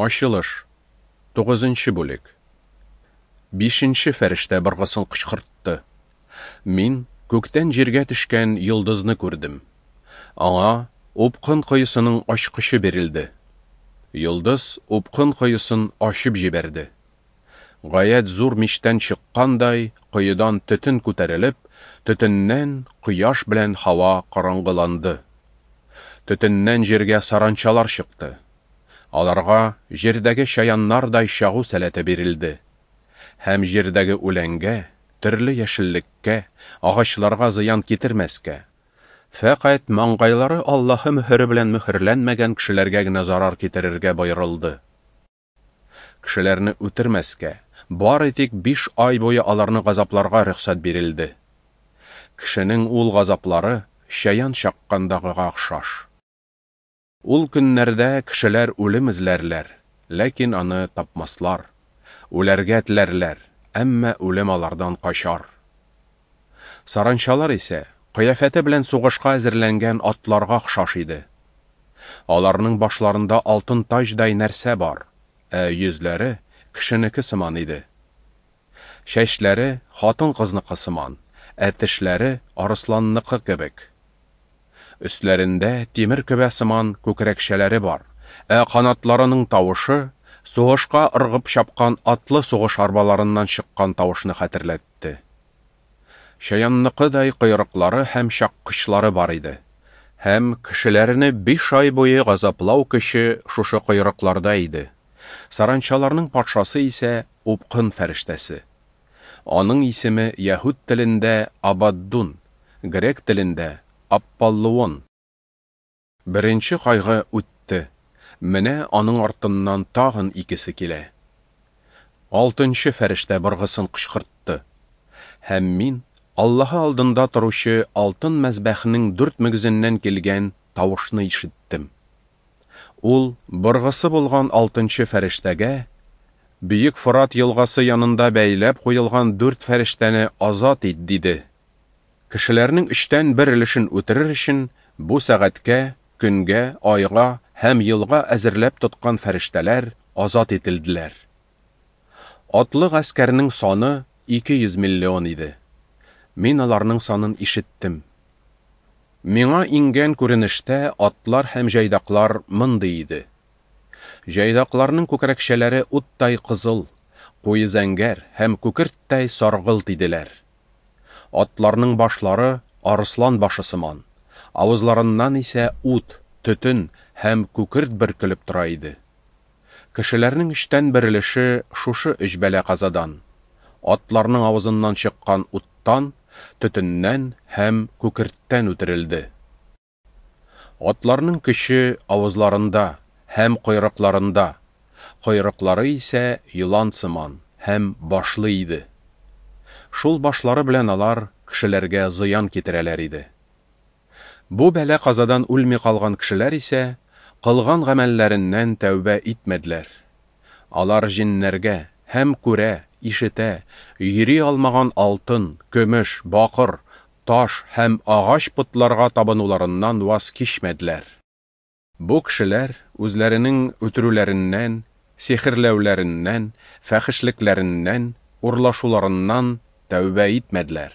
Ачылыш. Тугызынчы бүлек. Бишенче фәрештә быргысын кычкыртты. Мин күктән җиргә төшкән йолдызны күрдем. Аңа упкын коесының ачкычы бирелде. Йолдыз упкын коесын ачып җибәрде. Гаять зур мичтән чыккандай, коедан төтен күтәрелеп, төтеннән кояш белән һава караңгыланды. Төтеннән җиргә саранчалар чыкты. Аларга җирдәге чаяннардай чагу сәләте бирелде. Һәм җирдәге үләнгә, төрле яшеллеккә, агачларга зыян китермәскә, фәкать маңгайлары Аллаһы мөһере белән мөһерләнмәгән кешеләргә генә зарар китерергә боерылды. Кешеләрне үтермәскә, бары тик биш ай буе аларны газапларга рөхсәт бирелде. Кешенең ул газаплары чаян чаккандагыга охшаш. Ул көннәрдә кешеләр үлем эзләрләр, ләкин аны тапмаслар. Үләргә теләрләр, әмма үлем алардан качар. Саранчалар исә кыяфәте белән сугышка әзерләнгән атларга охшаш иде. Аларның башларында алтын таҗдай нәрсә бар, ә йөзләре кешенеке сыман иде. Чәчләре хатын-кызныкы сыман, ә тешләре арысланныкы кебек. Өсләрендә тимер көбә сыман күкрәкчәләре бар, ә канатларының тавышы сугышка ыргып чапкан атлы сугыш арбаларыннан чыккан тавышны хәтерләтте. Чаянныкыдай койрыклары һәм чаккычлары бар иде. Һәм кешеләрне биш ай буе газаплау көче шушы койрыкларда иде. Саранчаларның патшасы исә упкын фәрештәсе. Аның исеме яһүд телендә Абаддун, грек телендә Апполлуон. Беренче кайгы үтте, менә аның артыннан тагын икесе килә. Алтынчы фәрештә быргысын кычкыртты. Һәм мин Аллаһы алдында торучы алтын мәзбәхнең дүрт мөгезеннән килгән тавышны ишеттем. Ул быргысы булган алтынчы фәрештәгә: Бөек Форат елгасы янында бәйләп куелган дүрт фәрештәне азат ит, диде. Кешеләрнең өчтән бер өлешен үтерер өчен бу сәгатькә, көнгә, айга һәм елга әзерләп тоткан фәрештәләр азат ителделәр. Атлы гаскәрнең саны 200 миллион иде. Мин аларның санын ишеттем. Миңа иңгән күренештә атлар һәм җайдаклар мондый иде. Җайдакларның күкрәкчәләре уттай кызыл, куе зәңгәр һәм күкерттәй саргылт иделәр. Атларның башлары арыслан башы сыман, авызларыннан исә ут, төтен һәм күкерт бөркелеп тора иде. Кешеләрнең өчтән бер өлеше шушы өч бәла-казадан, атларның авызыннан чыккан уттан, төтеннән һәм күкерттән үтерелде. Атларның көче авызларында һәм койрыкларында, койрыклары исә елан сыман һәм башлы иде. Шул башлары белән алар кешеләргә зыян китерәләр иде. Бу бәла-казадан үлми калган кешеләр исә кылган гамәлләреннән тәүбә итмәделәр. Алар җеннәргә һәм күрә, ишетә, йөри алмаган алтын, көмеш, бакыр, таш һәм агач потларга табынуларыннан ваз кичмәделәр. Бу кешеләр үзләренең үтерүләреннән, сихерләүләреннән, фәхешлекләреннән, урлашуларыннан тәүбә итмәделәр.